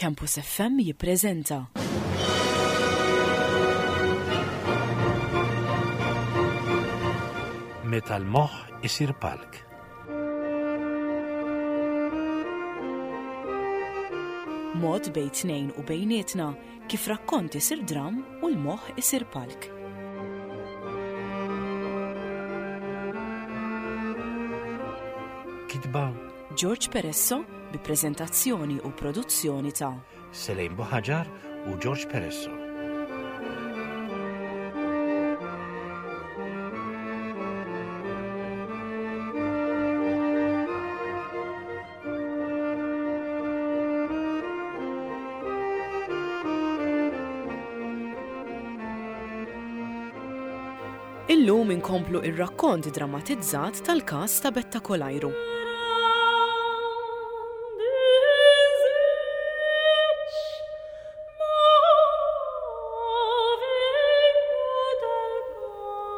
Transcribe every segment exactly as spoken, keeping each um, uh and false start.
Campus F M jippreżenta Meta l-moħħ isir palk. Mod bejn tnejn u bejnietna kif rakkont isir dram u l-moħħ isir palk. Kitba George Peresso bi preżentazzjoni u produzzjoni ta' Selejn Buħaġar u George Peresso. Illum inkomplu ir-rakkont drammatizzat tal-każ ta' Betta Kolajru.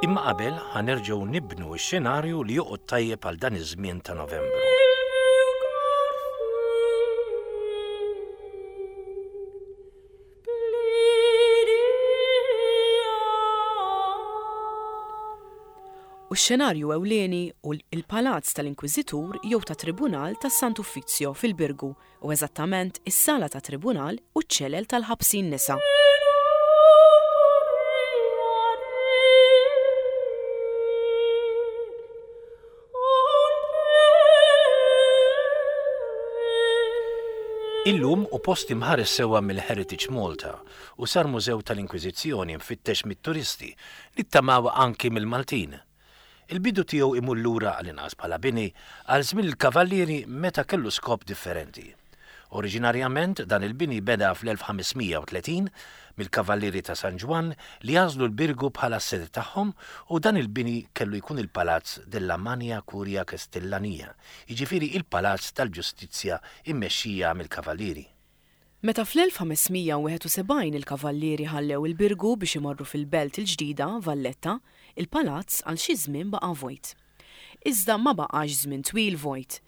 Imma qabel ħa nerġgħu nibnu x-xenarju li joqgħod tajjeb għal dan iż-żmien ta' Novembru. U x-xenarju ewlieni hu il-Palazz tal-Inkwiżitur jew ta' Tribunal tas-Sant'Uffizio fil-Birgu u eżattament is-sala ta' Tribunal u ċ-ċelel tal-ħabsin nisa. Illum hu post imħares sewwa mill-Heritage Malta u sar mużew tal-Inkwiżizzjoni mfittex mit-turisti, nittamaw anki mill-Maltin. Il-bidu tiegħu imur lura għal-inqas bħala bini għal żmien il-Kavallieri meta kellu skop differenti. Oriġinarjament dan il-bini beda fl-elf ħames mija u tletin mill-Kavallieri ta' San Ġwann li għażlu l-Birgu bħala s-sede tagħhom u dan il-bini kellu jkun il-Palazz della Magna Curia Castellania, jiġifieri il-Palazz tal-Ġustizzja immexxija mill-Kavallieri. Meta fl-elf ħames mija u wieħed u sebgħin il-Kavallieri ħallew il-Birgu biex imorru fil-belt il-ġdida Valletta, il-palazz għal xi żmien baqa' vojt. Iżda ma baqax żmien twil vojt.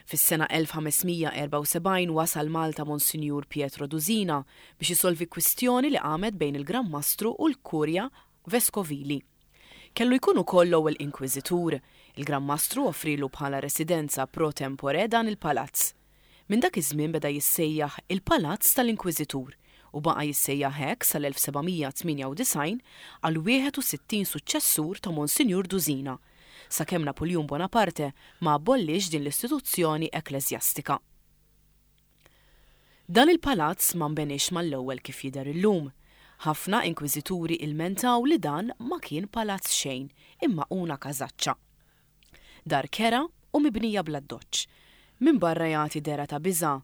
Fis-sena elf ħames mija u erbgħa u sebgħin wasal Malta Monsinjur Pietro Dusina biex isolvi kwistjoni li qamet bejn il-Gran Mastru u l-Kurja Veskovili. Kellu jkun ukoll l-ewwel inkwiżitur. Il-Gran Mastru offrilu bħala residenza pro tempore dan il-palazz. Minn dak iż-żmien beda jissejjaħ il-Palazz tal-Inkwiżitur u baqa' jissejjaħ hekk sal-elf seba' mija tmienja u disgħin għal wieħed u sittin suċċessur ta' Monsinjur Dusina, sakemm Napoleon Bonaparte ma abollix din l-istituzzjoni ekkleżjastika. Dan il-palazz ma nbenix mal-ewwel kif jidher illum. Ħafna inkwiżituri ilmentaw li dan ma kien palazz xejn, imma una kazaċċa. Dar kerha u mibnija bl-addoċċ. Minn barra jagħti dehra ta' biża',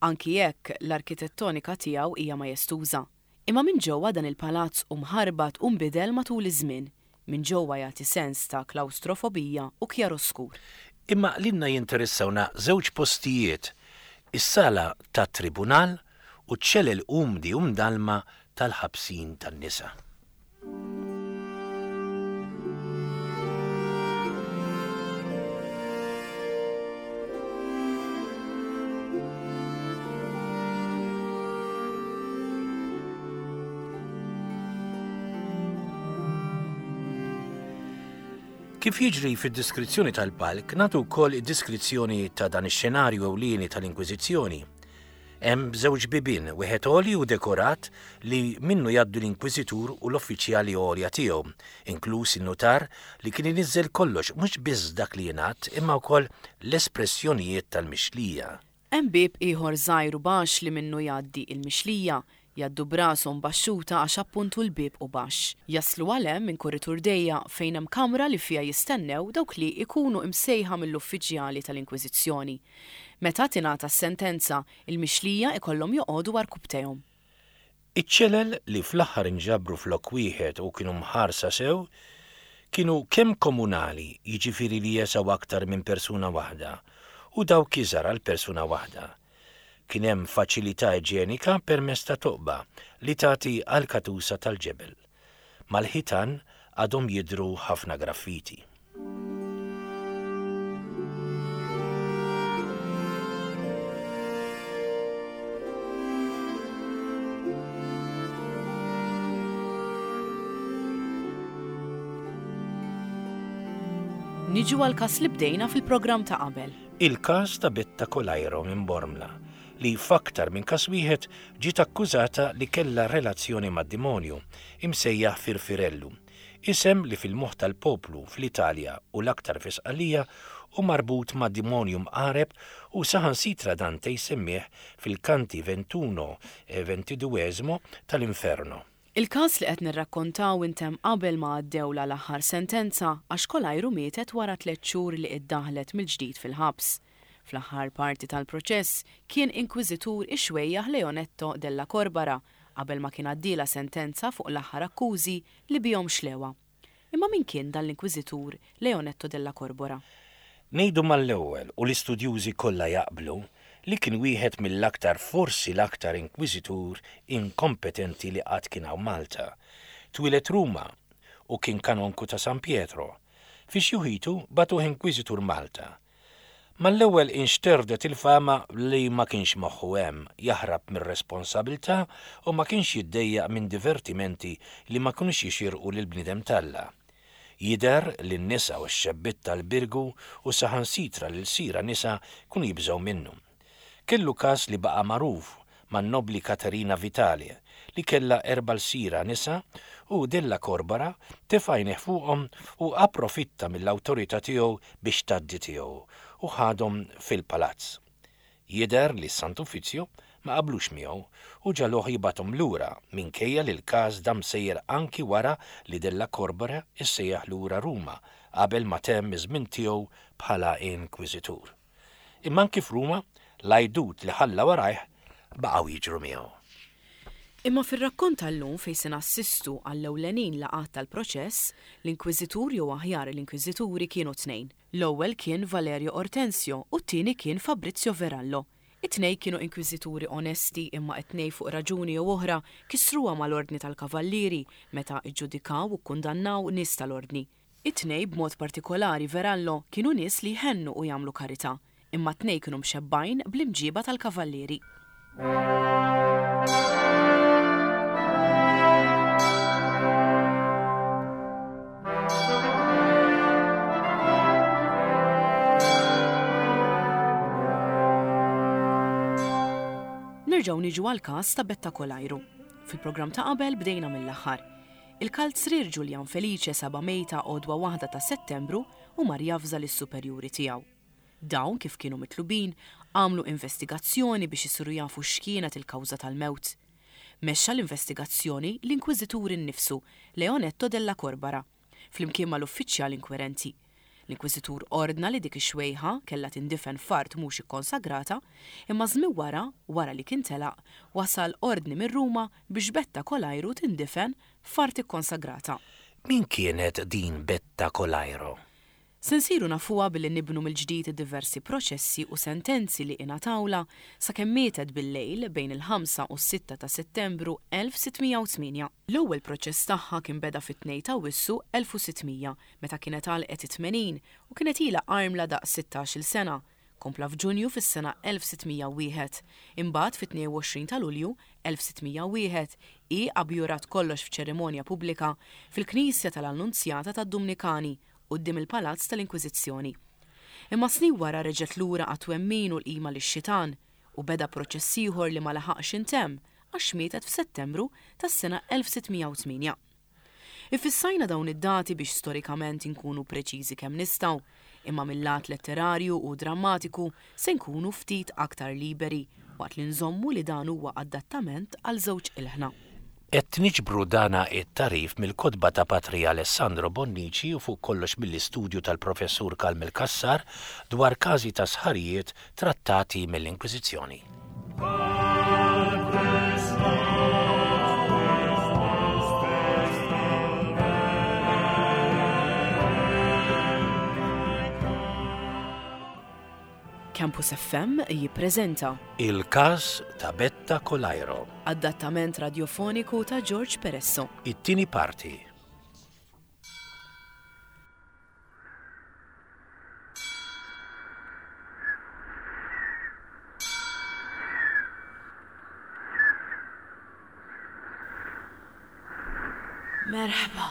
anki jekk l-arkitettonika tiegħu hija majestuża. Imma minn ġewwa dan il-palazz hu mħarbat u nbidel matul iż-żmien. Minn ġewwa jagħti sens ta' klaustrofobija u kjaroskur. Imma lilna jinteressawna żewġ postijiet, is-sala tat-tribunal u ċ-ċelel umdi u mdalma tal-ħabsin tan-nisa. Kif jiġri fid-diskrizzjoni tal-palk, nagħtu wkoll id-diskrizzjoni ta' dan ix-xenarju ewlieni tal-Inkwiżizzjoni. Hemm żewġ bibien, wieħed għoli u dekorat li minnu jgħaddu l-inkwiżitur u l-uffiċjali għolja tiegħu, inkluż in-nutar li kien iniżżel kollox mhux biss dak li jingħad imma wkoll l-espressjonijiet tal-mixlija. Hemm bieb ieħor żgħir u baxx li minnu jgħaddi il-mixlija, jgħaddu brashom baxxuta għax appuntu l-bieb hu baxx. Jaslu għal hemm minn kuritur dejjaq fejn hemm kamra li fiha jistennew dawk li ikunu imsejħa mill-uffiċjali tal-Inkwiżizzjoni. Meta tingħata s-sentenza, il-mixlija ikollhom joqogħdu għarkupptejhom. Iċ-ċelel li fl-aħħar inġabru flok wieħed u kienu mħarsa sew, kienu kemm komunali, jiġifieri li jesgħu aktar minn persuna waħda, u dawk iżgħar għal persuna waħda. Kien hemm faċilità iġenika permezz ta' toqba li tagħti għal katusa tal-ġebel. Mal-ħitan għadhom jidhru ħafna graffiti. Niġu għal każ li bdejna fil-programm ta' qabel. Il-każ ta' Betta Colairo minn Bormla, li f'aktar minn każ wieħed ġiet akkużata li kellha relazzjoni mad-demonju, imsejjaħ Firfirellu, isem li fil-moħħ tal-poplu fl-Italja u l-aktar fi Sqallija hu marbut ma' demonju mqareb u saħansitra Dante jsemmih fil-kanti ventuno e ventiduesimo tal-Inferno. Il-każ li qed nirrakkontaw intemm qabel ma għaddewla l-aħħar sentenza għax Colairo mietet wara tliet xhur li iddaħlet mill-ġdid fil-ħabs. Fl-aħħar parti tal-proċess kien inkwiżitur ix-xwejjaħ Leonetto della Corbara qabel ma kien għaddiela sentenza fuq l-aħħar akkużi li bihom xlewha. Imma min kien dan l-inkwiżitur Leonetto della Corbara? Ngħidu mal-ewwel u l-istudjużi kollha jaqblu li kien wieħed mill-aktar, forsi l-aktar inkwiżitur inkompetenti li qatt kien hawn Malta. Twieled Ruma u kien kanonku ta' San Pietro. Fi xjuħitu bagħtuh inkwiżitur Malta. Mal-ewwel inxterdet il-fama li ma kienx moħħu hemm, jaħrab mir-responsabilità u ma kienx jiddejjaq minn divertimenti li ma kinux jixirqu lil bniedem t'Alla. Jidher li n-nisa u x-xebbiet tal-Birgu u saħansitra lil sira nisa kienu jibżgħu minnu. Kellu każ li baqa' magħruf man-nobli Katerina Vitale li kellha erba' lsira nisa u Della Corbara tefa' għajnejh fuqhom u approfitta mill-awtorità tiegħu biex tgħaddi tiegħu u ħadhom fil-palazz. Jidher li s-Sant'Uffizzju ma qablux miegħu u ġaluh jibgħathom lura minkejja li l-każ dam sejjer anki wara li Della Corbara issejjaħ lura Ruma qabel ma temm iż-żmien tiegħu bħala inkwiżitur. Imma anki f'Ruma l-għajdut li ħalla warajh baqgħu jiġru miegħu. Imma fir-rakkont tal-lum fejn se nassistu għall-ewlenin laqgħat tal-proċess, l-inkwiżitur jew aħjar l-inkwiżituri kienu tnejn. L-ewwel kien Valerio Ortensio u t-tieni kien Fabrizio Verallo. It-tnejn kienu inkwiżituri onesti imma it-tnejn fuq raġuni jew oħra kisruha mal-ordni tal-kavallieri meta iġġudikaw u kkundannaw nies tal-ordni. It-tnejn b'mod partikolari Verallo kienu nies li jħennu u jagħmlu karità, imma t-tnejn kienu mxebbgħin bl-imġiba tal-kavallieri. Nerġgħu niġu għal każ ta' Betta Colairo. Fil-programm ta' qabel bdejna mill-aħħar. Il-kalzrier Julian Felice saba mejta għodwa waħda ta' Settembru u mar javża lis-superjuri tiegħu. Dawn kif kienu mitlubin għamlu investigazzjoni biex isiru jafu x'kienet il-kawża tal-mewt. Mexxa l-investigazzjoni l-inkwiżitur innifsu Leonetto della Corbara flimkien mal-uffiċjal inkwirenti. L-inkwiżitur ordna li dik ix-xwejħa kellha tindifen f'art mhux ikkonsagrata, imma żmien wara, wara li kien telaq, wasal ordni minn Ruma biex Betta Colairo tindifen f'art ikkonsagrata. Min kienet din Betta Colairo? Se nsiru nafuha billi nibnu mill-ġdid diversi proċessi u sentenzi li ingħatawla sakemm mietet bil-lejl bejn il-ħamsa u s-sitta ta' Settembru elf sittmija u tmienja. L-ewwel proċess tagħha kien beda fit-tnejn ta' Awwissu elf u sittmija meta kienet għalqet it-tmenin u kienet ilha armla daqs sittax-il sena. Kompla f'Ġunju fis-sena elf sittmija u wieħed. Imbagħad fit-tnejn u għoxrin ta' Lulju elf sittmija u wieħed hi abjurat kollox f'ċerimonja pubblika fil-Knisja tal-Annunzjata tad-Dumnikani quddiem il-Palazz tal-Inkwiżizzjoni. Imma snin wara reġgħet lura għat-twemmin u l-qima lix-xitan u beda proċess ieħor li ma laħaqx intemm għax mietet f'Settembru tas-sena elf sittmija u tmienja. Ifissajna dawn id-dati biex storikament inkunu preċiżi kemm nistgħu, imma mill-lat letterarju u drammatiku se nkunu ftit aktar liberi waqt li nżommu li dan huwa adattament għal żewġ ilħna. Qed niġbru dana it-tarif mill-kotba ta' Patri Alessandro Bonnici u fuq kollox mill-istudju tal-professur Carmel Cassar dwar każi ta' sħarijiet trattati mill-Inkwiżizzjoni. Campus F M jippreżenta Il-każ ta' Betta Colairo. Adattament radiofoniku ta' George Peresso. It-tieni parti. Merħba,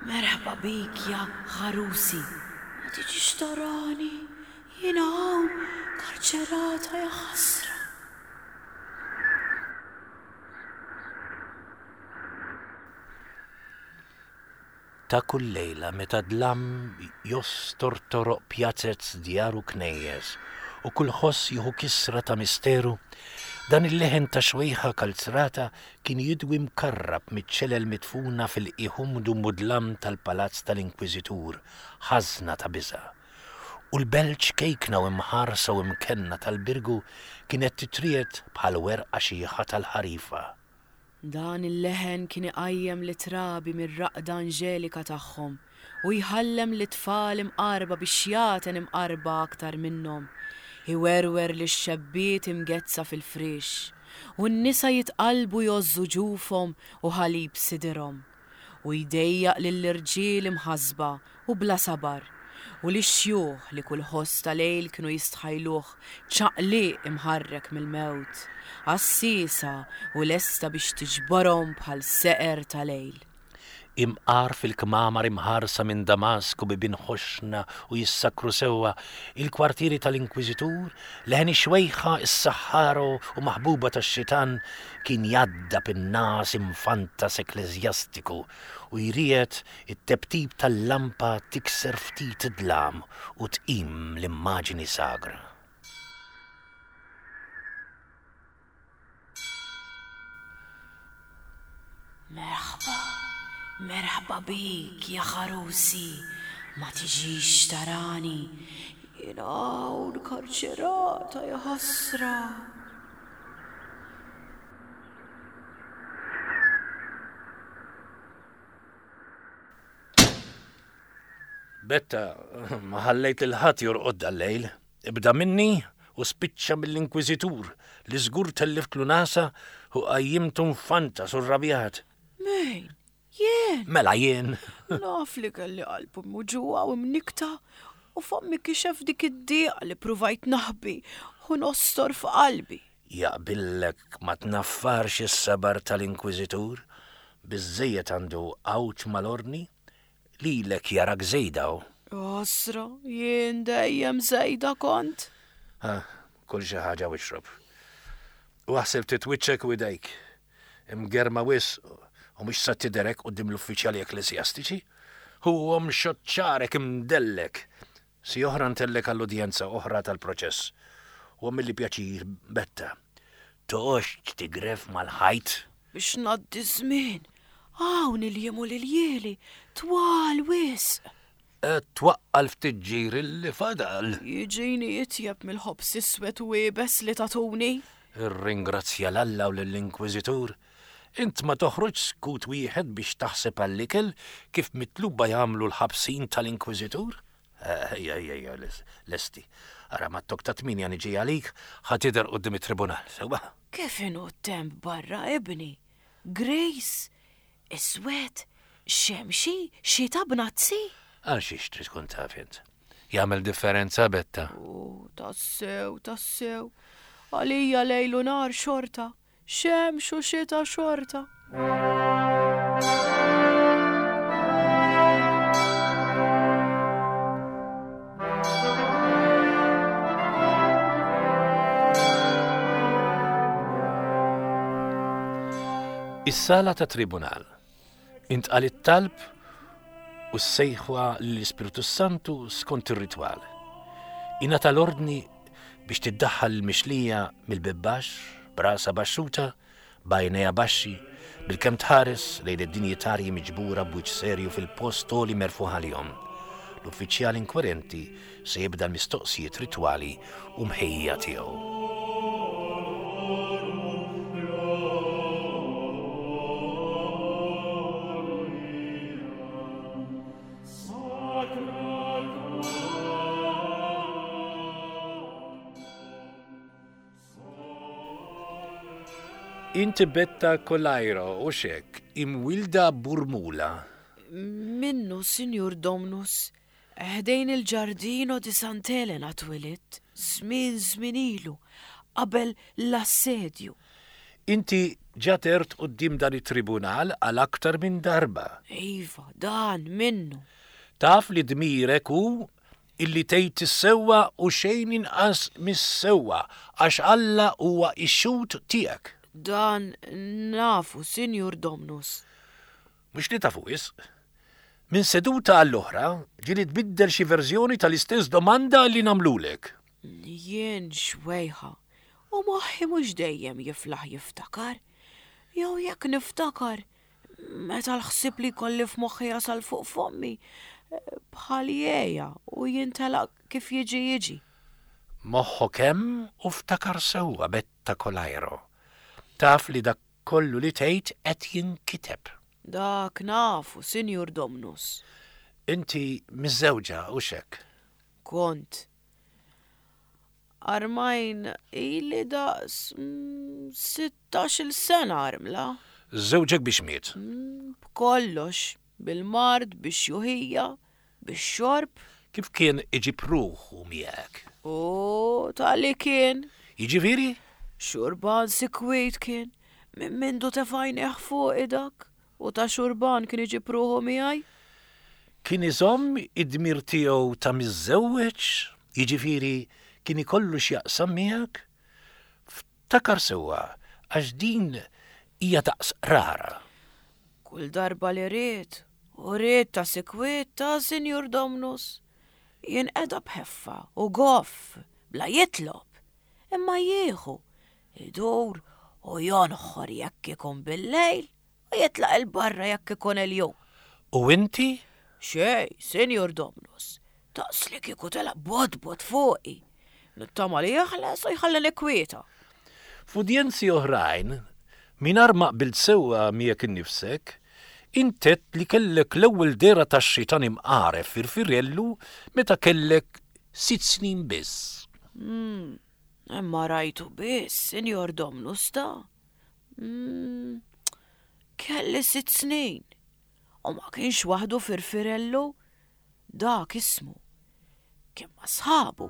merħba bik ja ħarusi. Ma tiġix tarani, jiena hawn karċerata ja ħasra. Ta' kull lejla meta dlam jostor toroq pjazez djar u knejjes u kull ħoss jieħu kisra ta' misteru, dan il-leħen ta' xwejħa kalzrata kien jidwi mkarrab miċ-ċelel midfuna fil-qiegħ mudlam tal-palazz tal-Inkwiżitur, ħażna ta' biża'. U l-belt ċkejkna u imħarsa u imkenna tal-Birgu kienet titriegħed bħal werqa xiħa tal-ħarifa. Dan il-leħen kien iqajjem lit-trabi mir-raqda anġelika tagħhom u jħallem lit-tfal imqarba biex jagħten imqarba aktar minnhom, iwerwer lix-xebbiet imgezza fil-friex, u n-nisa jitqalbu jgħożżu ġufhom u ħalib sidirhom, u jdejjaq lill-irġiel imħasba u bla sabar, u lix-xjuħ li kull ħoss ta' lejl kienu jistħajluh ċaqliq imħarrek mill-mewt, għassiesa u lesta biex tiġborhom bħal seqer ta' lejl. Imqar fil-kmamar imħarsa minn Damasku bibien ħoxna u jissakru sewwa, il-kwartieri tal-Inkwiżitur, leħen ix-xwejħa is-saħħara u maħbuba tax-xitan kien jgħaddab in-nas imfantas ekkleżjastiku u jriegħed it-teptip tal-lampa tikser ftit id-dlam u tqim l-immaġini sagra. Merħba, merħba bik ja ħarusi, ma tiġix tarani, jiena hawn karċerata ja ħasra. Betta, ma ħallejt lil ħadd jorqod dal-lejl. Ibda minni u spiċċa mill-Inkwiżitur li żgur telliftlu nasa u qajjimtu mfantas u rrabjat. Min? Jien? Mela jien. Naf li kelli qalbu muġugħa u mnikta u fommi kixef dik id-dieqa li pruvajt naħbi u nostor f'qalbi. Jaqbillek ma tnaffarx is-sabar tal-Inkwiżitur, biżżejjed għandu għawġ mal-ordni, lilek jarak żejda hu. Osra, jien dejjem żejda kont. Ha, kull xi ħaġa u ixrob. U aħseb titwiċċek u idejk. Imgerma wisq u mhux sa tidherek quddiem l-uffiċjali ekkleżjastiċi. Huwa mxoċċarek imdellek. Si oħra ntellek għall-udjenza oħra tal-proċess. U għamilli pjaċir, Betta. Toqgħodx tigref mal-ħajt. Biex ngħaddi żmien. Hawn il-jiem u l-iljieli twal wisq. Twaqqal ftit ġir li fadal. Jiġini itjeb mill-ħobż iswed u iebes li tatuni. Irringrazzja l-Alla u lill-Inkwiżitur. Int ma toħroġ skut wieħed biex taħseb għall-ikel kif mitluba jagħmlu l-ħabsin tal-Inkwiżitur? Ejja, ejja, ejja, lesti. Ara mat-tok ta' tminja niġi għalik, ħa tidher quddiem it-tribunal, sewwa? Kif inhu t-temp barra, ibni? Grace, iswed, xemxi, xita b'nazzi? Għal xiex trid tkun taf int? Jagħmel differenza, Betta? U tassew, tassew. Għalija lejl u nar xorta, xemx u xita xorta. Is-sala ta' tribunal. Intqal it-talb u s-sejħwa l-Ispirtu Santu skont ir-ritwal. Ingħata l-ordni biex tiddaħħal il-mixlija mill-bieb baxx, brasa baxxuta, b'għajnejha baxxi, bilkemm tħares lejn id-dinjitarji miġbura b'wiċċ serju fil-post għoli merfuħ għalihom. L-uffiċjal inkwerenti se jibda l-mistoqsijiet ritwali u mħejja tiegħu. Inti Betta Kolajro u xek, imwilda Burmula. Minnu, Sinjur Domnus, ħdejn il-ġardino di Sant'Elena twilit, żmien żmien ilu, qabel l-assedju. Inti ġatert quddiem dan it-tribunal għal aktar minn darba. Iva, dan minnu. Taf li dmirek hu illi tgħid is-sewwa u xejn inqas mis-sewwa għax Alla huwa x-xhud tiegħek. Dan nafu, Sinjur Domnus. Mhux li tafu wisq. Minn seduta għall-oħra ġieli tbiddel xi verżjoni tal-istess domanda li nagħmlulek. Jien xwejħa u moħħi mhux dejjem jiflaħ jiftakar. Jew jekk niftakar, meta l-ħsieb li kolli f'moħħi jasal fuq fommi, bħal jeja u jintelaq kif jiġi jiġi. Moħħok hemm u ftakar sewwa Betta Kolajro. Taf li dak kollu li tgħid qed jinkiteb. Dak nafu, Sinjur Domnus. Inti miżżewġa u xek. Kont. Armajn ili daqs mm, sittax-il sena armla. Żewġek biex miet. Mm, b'kollox, bil-mard, bix-xjuħija, bix-xorb. Kif kien iġib ruħu miegħek? U tal-li kien. Jiġifieri? Xurban sikwit kien. Minn mindu tefajnieh fuq dak. U ta' xurban kien iġib ruħu miegħi. Kien iżomm id-dmir tiegħu ta' miżżewweġ, jiġifieri kien ikollu x'jaqsam miegħek? Ftakar sewwa għax din hija daqs rara. Kull darba li ried, u ried ta' sikwit ta' Sinjur Domnus. Jinqeda b'ħeffa u goff, bla jitlob, imma jieħu, idur u jonħor jekk ikun bil-lejl u jitlaq il-barra jekk ikun il-jum. U inti? Xej, Sinjur Domnus, taqs li kieku telaq bodbod fuqi. Nittama li jeħles u jħallini kwieta. F'udjenzi oħrajn, mingħajr ma qbilt sewwa miegħek innifsek, intet li kellek l-ewwel dehra tax-xitan imqaref firfirellu meta kellek sitt snin biss. Mm, imma rajtu biss, Sinjor Domnus ta. Mm, kelli sitt snin. U ma kienx waħdu firfirellu, dak ismu. Kien ma' sħabu.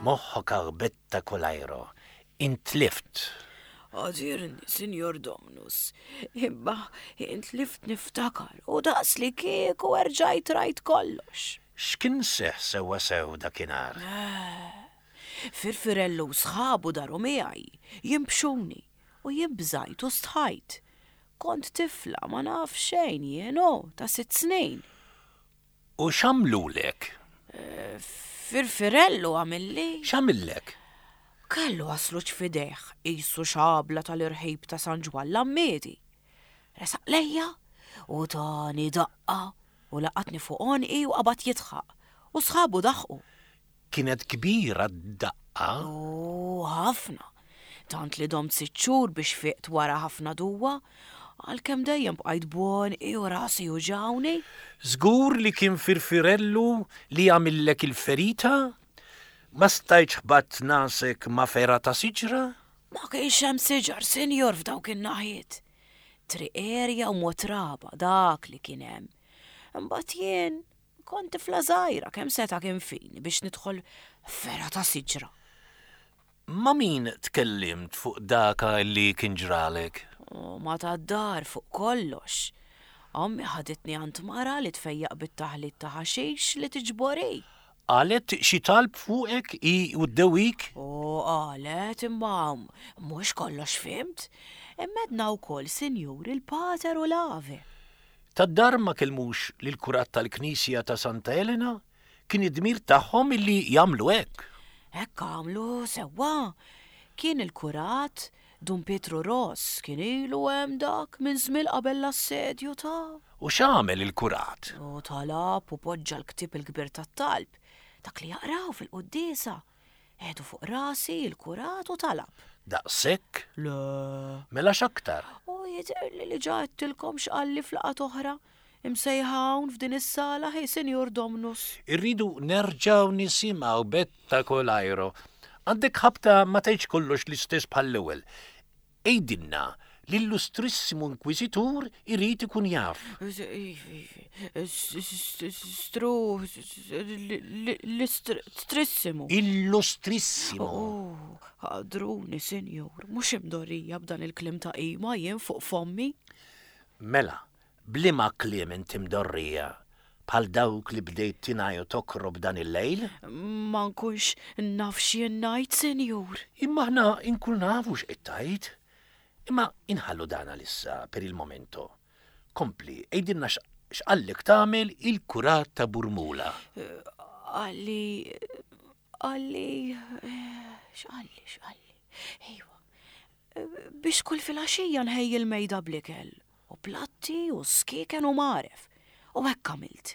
Moħħok Betta Kolajro, intlift. Għadirni, Sinjor Domnus, imma intlift niftakar u daqs li kieku erġajt rajt kollox. X'kien seħ sewwa sew dakinhar? Firfirellu u sħabu daru miegħi, jimbxuni u jien bżajt u stħajt. Kont tifla ma naf xejn jien hu, ta' sitt snin. U x'għamlulek? Firfirellu għamilli. X'għamillek? Kellu għasluċ f'idejh, qisu xabla tal-irħib ta' San Ġwann l-Għammiedi. Resaq lejja u tani daqqa u laqatni fuq għonqi u qabad jidħaq u sħabu daħqu. Kienet kbira d-daqqa? U ħafna. Tant li domt sitt xhur biex fiqt wara ħafna duwa, għalkemm dejjem bqajt b'għonqi u rasi uġawni. Żgur li kien firfirellu li għamillek il-ferita? Ma stajtx ħbatt nasek ma' fergħa ta' siġra? Ma kienx hemm siġar, sinjor, f'dawk in-naħiet. Triq erja u motraba dak li kien hemm. Imbagħad jien kont tifla żgħira kemm seta' kien fini biex nidħol fergħa ta' siġra. Ma' min tkellimt fuq daka li kien ġralek? U ma tad-dar fuq kollox. Ommi ħaditni għand mara li tfejjaq bit-taħlit ta' ħaxix li tiġbori. Qalet xi talb fuqek i u ddewik? U qalet imma mhux kollox fimt. Immedna wkoll sinjur il-Pater u l-Ave. Tad-dar ma kellmux lill-kurat tal-Knisja ta' Santa Elena? Kien id-dmir tagħhom illi jagħmlu hekk. Hekk għamlu sewwa. Kien il-kurat Dun Pietru Ross kien ilu hemm dak minn żmien qabel l-assedju ta'. U x'għamel il-kurat? U talab u poġġa l-ktieb il-kbir tat-talb, dak li jaqraw fil-quddiesa. Qiegħdu fuq rasi il-kurat u talab. Daqshekk? Le. Mela x'aktar? U jidhirli li ġa għedtilkom x'qalli f'laqgħat oħra. Imsejħa hawn f'din is-sala ħej Sinjur Domnus. Irridu nerġgħu nisimgħu Betta Kolajro. Għandek ħabta ma tgħidx kollox l-istess bħall-ewwel. Għidilna L-illustrissimu inkwiżitur irid ikun jaf. Stru... L-istrissimu. Illustrissimu. Oh, ħadruni, sinjur, mhux imdorrija b'dan il-kliem ta' qima jien fuq fommi. Mela, b'liema kliem inti mdorrija? Bħal dawk li bdejt tingħi u tokrob dan il-lejl? Ma nkunx naf x'jien ngħid, sinjur. Imma aħna nkun nafu x'qed tgħid. Imma inħallu dan għalissa per il momento. Kompli, għidilna x'qallek tagħmel il-kurat ta' Burmula. Qalli, qalli, x'qalli, x'qalli. Ejwa, biex kull filgħaxija nħejji l-mejda bl-ikel, u platti u skieken u mgħaref. U hekk għamilt.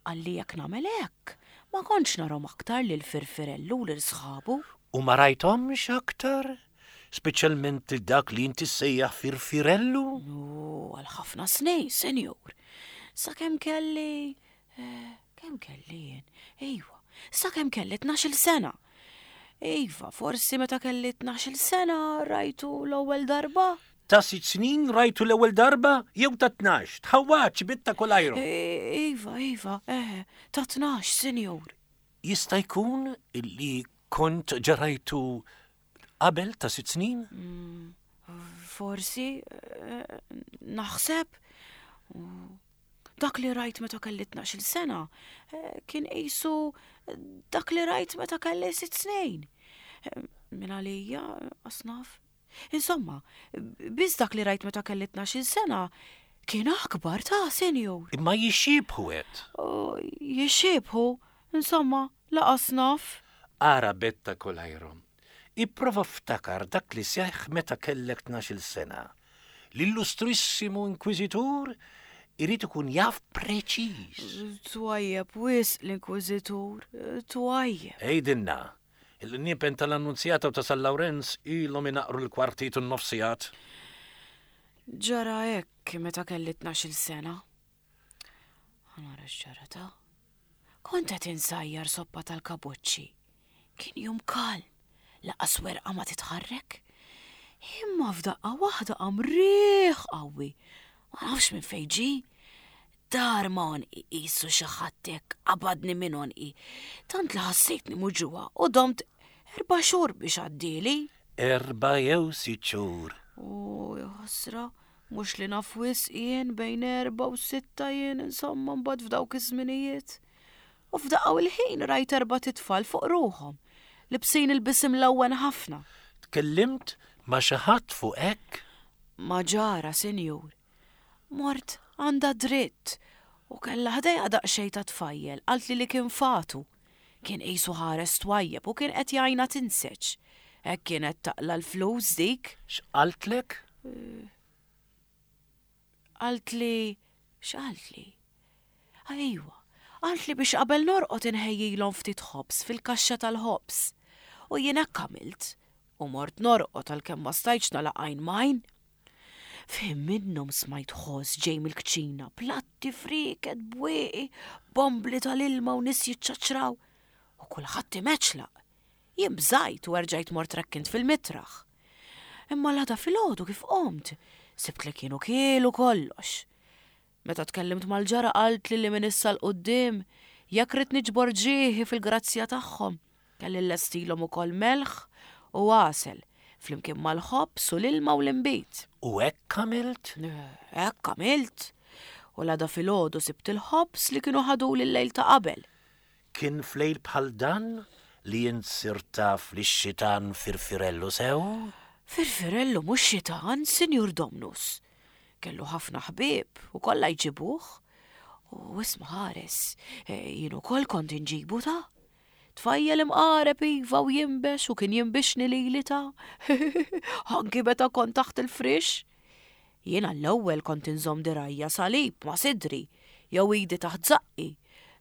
Qalli jekk nagħmel hekk, ma kontx narahom aktar lil Firfirellu u lil sħabu. U ma rajthomx aktar? Speċjalment lil dak li inti ssejjaħ Firfirellu? U għal ħafna snin, senjur. Sakemm kelli eh, kemm kelli jien? Ejwa, sakemm kelli tnax-il sena. Iva, forsi meta kelli tnax-il sena rajtu l-ewwel darba. Ta' sitt snin rajtu l-ewwel darba jew ta' tnax, tħawwadx bitta kolajru. Iva, iva, eh, ta' tnax, sinjur. Jista' jkun illi kont ġarajtu qabel ta' sitt snin? Mm, forsi, eh, naħseb. Dak li rajt meta kelli tnax-il sena, eh, kien qisu dak li rajt meta kelli sitt snin. Eh, min għalija, asnaf. Insomma, biss dak li rajt meta kelli tnax-il sena kien akbar ta' senjur. Imma jixxiebħu għedt. Jixxiebħu, insomma, laqas naf. Ara betta kolajrom. Ipprova ftakar dak li seħħ meta kellek tnax-il sena. L-illustrissimu inkwiżitur irid ikun jaf preċiż. Twajjeb wisq l-inkwiżitur, twajjeb. Għidilna, il-qniepen tal-Annunzjata u ta' San Lawrenz ilhom inaqru l-kwartit u n-nofsijat. Ġara hekk meta kelli tnax-il sena. Nara x'ġara ta'. Kont qed insajjar soppa tal-kabuċċi. Kien jum kalm, laqas werqa ma titħarrek. Imma f'daqqa waħda qam riħ qawwi. Ma nafx minn fejn ġie. Dar ma għonqi qisu xi ħadd hekk qabadni minn għonqi. Tant li ħassejtni muġugħa u domt erba' xhur biex għaddieli. Erba' jew sitt xhur. U ħasra, mhux li naf wisq jien bejn erba' u sitta jien insomma mbagħad f'dawk iż-żminijiet. U f'daqqa u l-ħin rajt erba' titfal fuq ruħhom, libsin ilbies imlewwen ħafna. Tkellimt ma' xi ħadd fuq hekk? Ma' ġara, sinjur. Mort għandha dritt u kellha ħdejha daqsxejn ta' tfajjel, qaltli li kien fatu. Kien qisu ħares twajjeb u kien qed jgħinha tinseġ. Hekk kienet taqla l-flus dik. X'qaltlek? Qaltli, x'qaltli? Ejwa, qaltli biex qabel norqod inħejjilhom ftit ħobż fil-kaxxa tal-ħobż. U jien hekk għamilt u mort norqod għalkemm ma stajtx nagħlaq għajn m'għajn. F'ħin minnhom smajt ħoss ġej mill-kċina, platti friket, bwieqi, bombli tal-ilma u nies jiċċaċraw. U kulħadd imeċlaq. Jien bżajt u erġajt mort rekkint fil-mitraħ. Imma l-għada filgħodu kif qomt, sibt li kienu kielu kollox. Meta tkellimt mal-ġara qaltli li minn issa 'l quddiem, jekk ridt niġbor ġieħi fil-grazzja tagħhom, kelli llestilhom ukoll melħ u għasel, flimkien mal-ħobż u l-ilma u l-inbid. U hekk għamilt? Hekk għamilt. U l-għada filgħodu sibt il-ħobż li kienu ħaduli l-lejl ta' qabel. Kien flejl bħal dan li int sirt taf li x-xitan Firfirellu sew? Firfirellu mhux xitan, Sinjur Domnus. Kellu ħafna ħbieb u kollha jġibuh. U isma' ħares, jien ukoll kont inġibu ta'. Tfajjel imqareb iva u jinbex u kien jinbixni lili ta'. Anki meta kont taħt il-frix. Jien għall-ewwel kont inżomm dirgħajja salib ma' sidri, jew idi taħt żaqqi.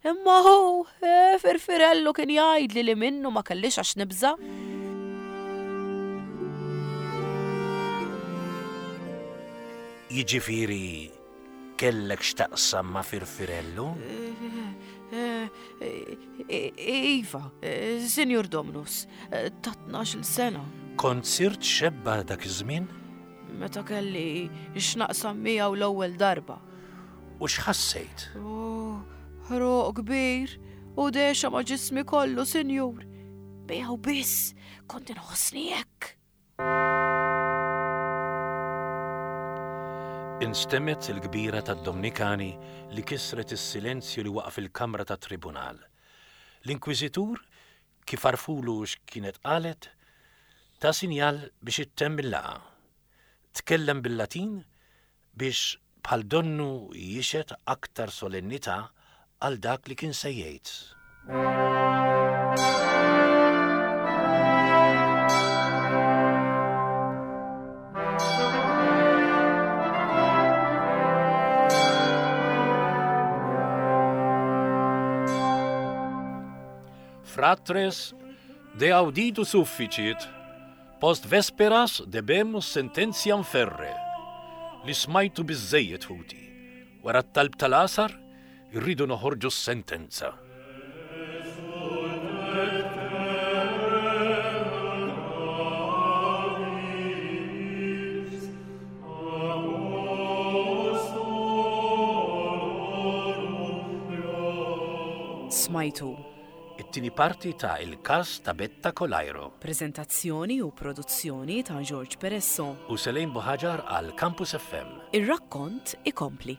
Imma hu, eh, Firfirellu kien jgħidli li minnu ma kellix għax nibża'. Jiġifieri kellek x'taqsam ma' Firfirellu? Eh, eh, iva, eh, Sinjur Domnus, ta' tnax-il sena. Kont sirt xebba dak iż-żmien? Meta kelli x'naqsam miegħu l-ewwel darba. U x'ħassejt? Oh, ħruq kbir u dehxa ma' ġismi kollu, sinjur. Miegħu biss kont inħossni hekk. Instemgħet il-kbira tad-Dominikani li kisret is-silenzju li waqa' fil-kamra tat-tribunal. L-Inkwiżitur, kif għarrfulu x'kienet qalet, ta sinjal biex ittemm il-laqgħa. Tkellem bil-Latin biex bħal donnu jixhed aktar solennità għal dak li kien se jgħid. Fratres, de auditu sufficit, post vesperas debemus sententiam ferre. Li smajtu biżżejjed ħuti. Wara t-talb tal-għasar, irridu noħorġu s-sentenza. Smajtu. It-tieni parti ta' Il-Każ ta' Betta Colairo. Prezentazzjoni u produzzjoni ta' George Peresso. U Selene Buhagiar għal Campus F M. Ir-rakkont ikompli.